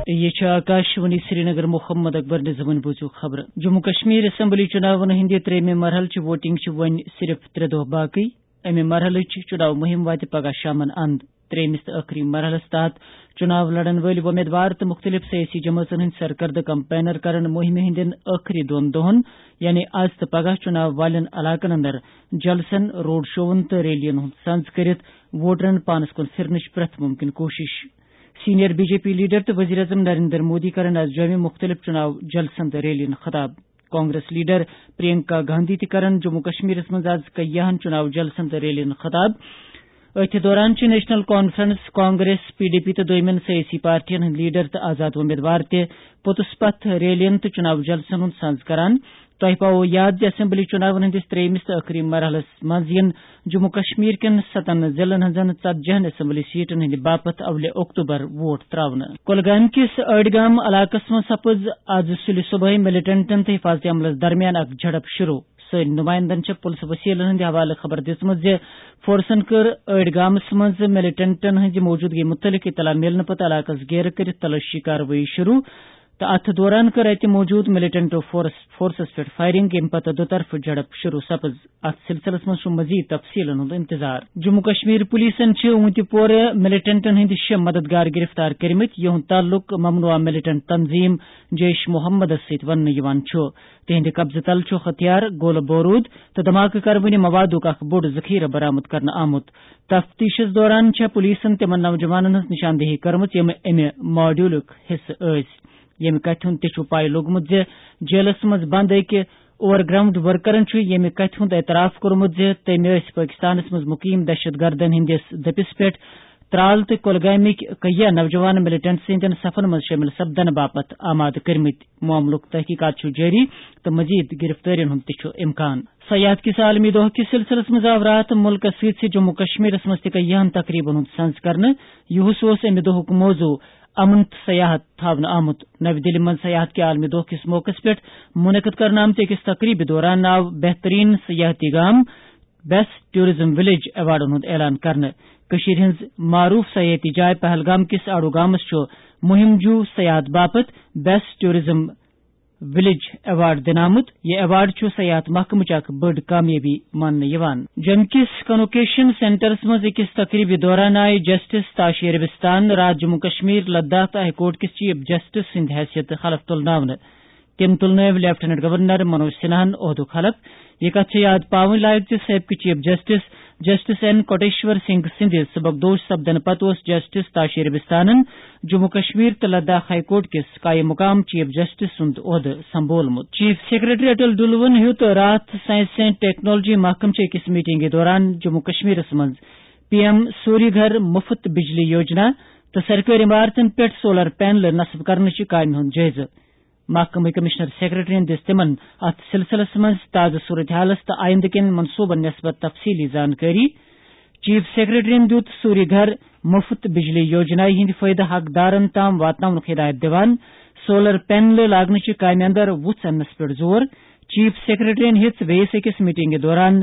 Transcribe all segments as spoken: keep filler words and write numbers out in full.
یہ چھِ آکاشوانی سرینگر۔ محمد اکبر نظامن بوٗزِو خبرٕ۔ جموں کشمیر اسمبلی چُناون ہٕنٛدِ ترٛیٚیمہِ مرحلہٕ چہِ ووٹنگ چھِ وۄنۍ صرف ترٛےٚ دۄہ باقٕے۔ امہِ مرحلٕچ چُناو مُہِم واتہِ پگاہ شامن اند۔ ترٛیٚیمِس تہٕ ٲخری مرحلس تحت چُناو لڑن وٲلۍ وۄمیدوار تہٕ مُختٔلِف سیٲسی جمٲژن ہٕنٛدۍ سرکردٕ کمپینر کرن مُہِمہِ ہٕنٛدٮ۪ن ٲخری دۄن دۄہن، یعنی از تہٕ پگاہ، چُناو والٮ۪ن علاقن اندر جلسن، روڈ شوون تہٕ ریلین ہُنٛد سنز کٔرِتھ ووٹرن پانس کُن پھرنٕچ پرٛٮ۪تھ مُمکِن کوٗشِش۔ Senior B J P leader تہٕ وزیر اعظم نریندر مودی کرن از جوٚمہِ مُختٔلِف چُناو جلسن تہٕ ریلین خطاب۔ کانگریس لیڈر پرینکا گاندھی تہِ کرن جموں کشمیرس منٛز از کیاہن چُناو جلسن تہٕ ریلین خطاب۔ أتھۍ دوران چھِ national conference, Congress, P D P تہٕ دوٚیمٮ۪ن سیٲسی پارٹین ہٕنٛدۍ لیڈر تہٕ آزاد وۄمیدوار تہِ پوٚتُس پتھ ریلین تہٕ چُناو جلسن ہُنٛد سنز کران۔ تۄہہِ پاوو یاد زِ اسمبلی چُناون ہٕنٛدِس ترٛیٚیمِس تہٕ ٲخری مرحلس منٛز یِن جموں کشمیر کٮ۪ن ستن ضلعن ہٕنٛزن ژتجی ہن اسمبلی سیٹن ہٕنٛدِ باپتھ اولہِ اکتوبر ووٹ تراونہٕ۔ کۄلگامہِ کِس ٲڈگام علاقس منٛز سپٕز از سُلہِ صبحٲے ملیٹنٹن تہٕ حفاظتی عملس درمیان اکھ جھڑپ شروع۔ سٲنۍ نمائندن چھےٚ پُلسہٕ وسیلن ہٕنٛدِ حوالہٕ خبر دِژمٕژ زِ فورسن کٔر ٲڈگامس منٛز ملیٹنٹن ہٕنٛزِ موجودگی مُتعلق اطلاع میلنہٕ پتہٕ علاقس گیرٕ کٔرِتھ تلٲشی کاروٲیی شروع۔ تہٕ اتھ دوران کٔر اتہِ موجود ملیٹنٹو فورس، فورسس پٮ۪ٹھ فائرنگ، ییٚمہِ پتہٕ دُطرفہٕ جھڑپ شروع سپٕز۔ اتھ سلسلس منٛز چھُ مزید تفصیلن ہُنٛد انتظار۔ جموں کشمیر پولیسن چھِ اونتی پورٕ ملیٹنٹن ہٕنٛدۍ شےٚ مددگار گرفتار کٔرمٕتۍ، یِہُنٛد تعلق ممنوعہ ملیٹنٹ تنظیم جیش محمدس سۭتۍ وننہٕ یِوان چھُ۔ تِہنٛدِ قبضہٕ تل چھُ ہتھیار، گولہٕ بوروٗد تہٕ دھماکہٕ کروٕنہِ موادُک اکھ بوٚڑ ذخیرٕ برآمد کرنہٕ آمُت۔ تفتیشس دوران چھےٚ پولیسن تِمن نوجوانن ہٕنٛز نشاندہی کٔرمٕژ، یِم امہِ ماڈیولُک حصہٕ ٲسۍ۔ ییٚمہِ کتھِ ہُنٛد تہِ چھُ پاے لوٚگمُت زِ جیلس منٛز بند أکۍ اوور گراؤنڈ ورکرن چھُ ییٚمہِ کتھِ ہُنٛد اعتراف کوٚرمُت زِ تٔمۍ ٲسۍ پٲکستانس منٛز مُقیم دہشت گردن ہٕنٛدِس دٔپِس پٮ۪ٹھ ترال تہٕ کۄلگامٕکۍ کیاہ نوجوان ملیٹنٹ سٕنٛدٮ۪ن صفن منٛز شٲمِل سپدنہٕ باپتھ آمادٕ کٔرمٕتۍ۔ معاملُک تحقیقات چھُ جٲری تہٕ مزید گرفتٲرین ہُنٛد تہِ چھُ امکان۔ سیاحت کِس عالمی دۄہ کِس سلسلس منٛز آو راتھ مُلکس سۭتۍ سۭتۍ جموں کشمیرس منٛز تہِ کیاہن تقریبن ہُنٛد سنز کرنہٕ۔ یُہُس اوس امہِ دۄہُک موضوع، امن تہٕ سیاحت تھاونہٕ آمُت۔ نَوِ دِلہِ منٛز سیاحت کہِ عالمی دۄہ کِس موقعس پٮ۪ٹھ منعقد کرنہٕ آمتہِ أکِس تقریبہِ دوران آو بہترین سیاحتی گام بیسٹ ٹورازم ولیج ایوارڈن ہُنٛد اعلان کرنہٕ۔ کٔشیٖرِ ہٕنٛز معروف سیاحتی جاے پہلگام کِس آڑو گامس چھُ مہم جو سیاحت باپتھ بیسٹ ٹورازم ولیج ایوارڈ دِنہٕ آمُت۔ یہِ ایوارڈ چھُ سیاحت محکمٕچ اکھ بٔڑ کامیٲبی ماننہٕ یِوان۔ جوٚمہِ کِس کنوکیشن سینٹرس منٛز أکِس تقریبہِ دوران آیہِ جسٹس تاشی عربستان راتھ جموں کشمیر، لداخ تہٕ ہائی کورٹ کِس چیف جسٹس سٕنٛدِ حیثیتہٕ حلف تُلناونہٕ۔ تٔمۍ تُلنٲوۍ لیفٹیننٹ گورنر منوج سنہاہن عہدُک حلف۔ یہِ کتھ چھےٚ یاد پاوٕنۍ لایق زِ سٲبقہٕ chief justice, justice N Kotiswar Singh سٕنٛدِ سبکدوش سپدنہٕ پتہٕ اوس جسٹس تاشی عربستانن جموں کشمیر تہٕ لداخ ہائی کورٹ کِس قائم مقام چیف جسٹس سُنٛد عہدٕ سنبھولمُت۔ چیف سیکرٹری اٹل ڈلوَن ہیوٚت راتھ سائنس اینڈ ٹیکنالوجی محکمہٕ چہِ أکِس میٹنگہِ دوران جموں کشمیرس منٛز پی ایم سوری گھر مفت بجلی یوجنا تہٕ سرکٲرۍ عمارتن پٮ۪ٹھ سولر پینلہٕ نصب کرنہٕ چہِ کامہِ ہُنٛد جٲیزٕ۔ محکمہٕ کمشنر سیکرٹریَن دِژ تِمَن اَتھ سلسلس منٛز تازٕ صورتحالَس تہٕ آیندٕ کٮ۪ن منصوبَن نسبت تفصیلی زانکٲری۔ چیف سیکرٹریَن دِیُت سوری گھر مفت بجلی یوجنایہِ ہٕنٛدۍ فٲیدٕ حقدارَن تام واتناونُک ہدایت دِوان سولر پینلہٕ لاگنٕچہِ کامہِ اندر وُژھ اننَس پٮ۪ٹھ زور۔ چیف سیکرٹریَن ہیٚژ بیٚیِس أکِس میٹنگہِ دوران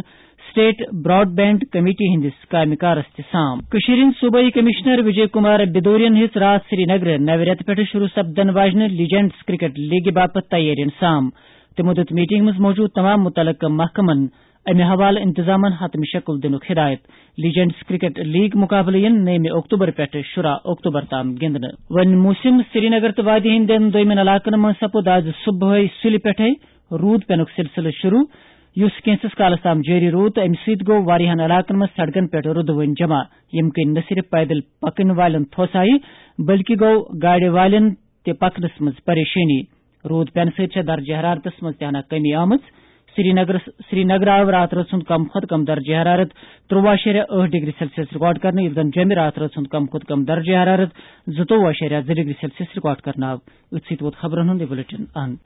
اسٹیٹ براڈ بینڈ کمیٹی ہٕنٛدِس کامہِ کارس تہِ سام۔ کٔشیٖرِ ہٕنٛدۍ صوبٲئی کمشنر وجے کمار بدورین ہیٚژ راتھ سری نگرٕ نوِ رٮ۪تہٕ پٮ۪ٹھٕ شروع سپدن واجنہِ لیجنڈز کرکٹ لیگہِ باپتھ تیٲرین سام۔ تِمو دِیُت میٹنگ منٛز موجود تمام مُتعلقہٕ محکمن امہِ حوالہٕ انتظامن حتمی شکل دِنُک ہدایت۔ لیجنڈز کرکٹ لیگ مقابلہٕ یِن نٔیمہِ اکتوبر پٮ۪ٹھٕ شُراہ اکتوبر تام گِنٛدنہٕ۔ وۄنۍ موسم۔ سری نگر تہٕ وادی ہٕنٛدٮ۪ن دوٚیمٮ۪ن علاقن منٛز سپُد از صبحٲے سُلہِ پٮ۪ٹھَے روٗد پینُک سلسلہٕ شروع، یُس کینٛژھس کالس تام جٲری روٗد تہٕ امہِ سۭتۍ گوٚو واریاہن علاقن منٛز سڑکن پٮ۪ٹھ روٗدٕ وٲنۍ جمع، ییٚمہِ کِنۍ نہ صرف پیدل پکن والٮ۪ن تھوس آیہِ، بلکہِ گوٚو گاڑِ والٮ۪ن تہِ پکنس منٛز پریشٲنی۔ روٗد پینہٕ سۭتۍ چھےٚ درجہ حرارتس منٛز تہِ ہنا کمی آمٕژ۔ سری نگرس، سری نگر آو راتھ رٲژ ہُنٛد کم کھۄتہٕ کم درجہ حرارت ترٛوٚوُہ اَشاریہ ٲٹھ ڈگری سیلسیس ریکارڈ کرنہٕ، یُس زن جوٚمہِ راتھ رٲژ ہُنٛد کم کھۄتہٕ کم درجہ حرارت زٕتووُہ اَشاریہ زٕ ڈگری سیلسیس ریکارڈ کرنہٕ آو۔ أتھۍ سۭتۍ ووت خبرن ہُنٛد یہِ بلیٹن اند۔